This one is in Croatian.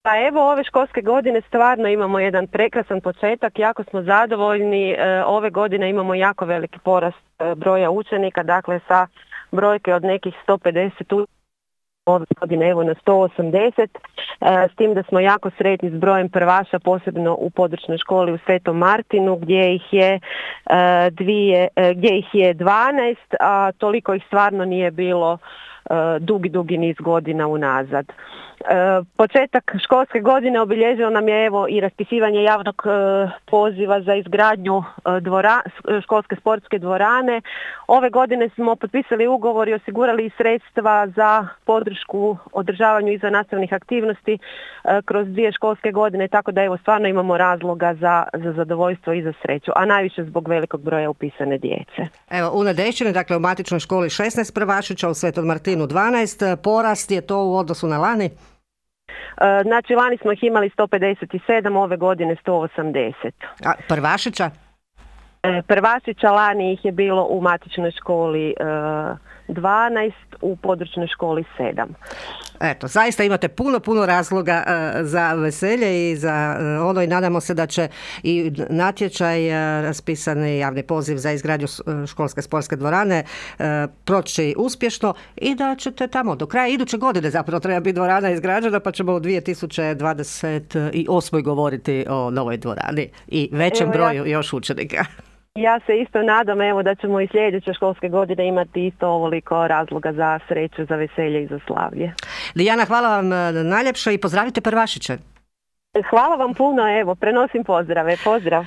Pa evo, ove školske godine stvarno imamo jedan prekrasan početak, jako smo zadovoljni. Ove godine imamo jako veliki porast broja učenika, dakle sa brojke od nekih 150 ove godine evo na 180, s tim da smo jako sretni s brojem prvaša, posebno u područnoj školi u Svetom Martinu gdje ih je 12, a toliko ih stvarno nije bilo dugi niz godina unazad. Početak školske godine obilježio nam je evo i raspisivanje javnog poziva za izgradnju školske sportske dvorane. Ove godine smo potpisali ugovor i osigurali sredstva za podršku održavanju izvannastavnih aktivnosti kroz 2 školske godine, tako da evo stvarno imamo razloga za zadovoljstvo i za sreću, a najviše zbog velikog broja upisane djece. Evo, u Nedešćini, dakle u matičnoj školi 16 prvašića, u Svetom Martinu 12, porast je to u odnosu na lani? Znači, lani smo ih imali 157, ove godine 180. A prvašića? Prvašića lani ih je bilo u matičnoj školi 12, u područnoj školi 7. Eto, zaista imate puno razloga za veselje i za ono, i nadamo se da će i natječaj, raspisani javni poziv za izgradnju školske sportske dvorane proći uspješno i da ćete tamo do kraja iduće godine zapravo treba biti dvorana izgrađena, pa ćemo u 2028. govoriti o novoj dvorani i većem broju još učenika. Ja se isto nadam evo da ćemo i sljedeće školske godine imati isto ovoliko razloga za sreću, za veselje i za slavlje. Lijana, hvala vam najljepše i pozdravite prvašiće. Hvala vam puno, evo, prenosim pozdrave. Pozdrav.